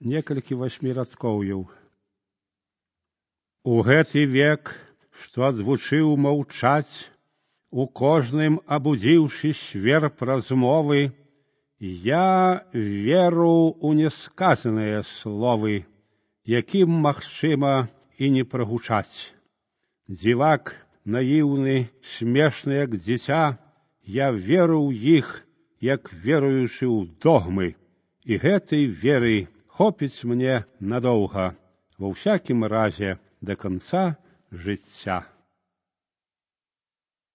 некалькі васьмірадкоўяў. У гэты век, што адвучыў маўчаць, у кожным абудзіўшы сверб размовы, я веру ў несказаныя словы, якім магчыма і не прагучаць. Дзівак наіўны, смешны, як дзіця, я веру ў іх, як веруючы ў догмы, і гэтай веры хопіць мне надоўга, ва ўсякім разе да канца жыцця.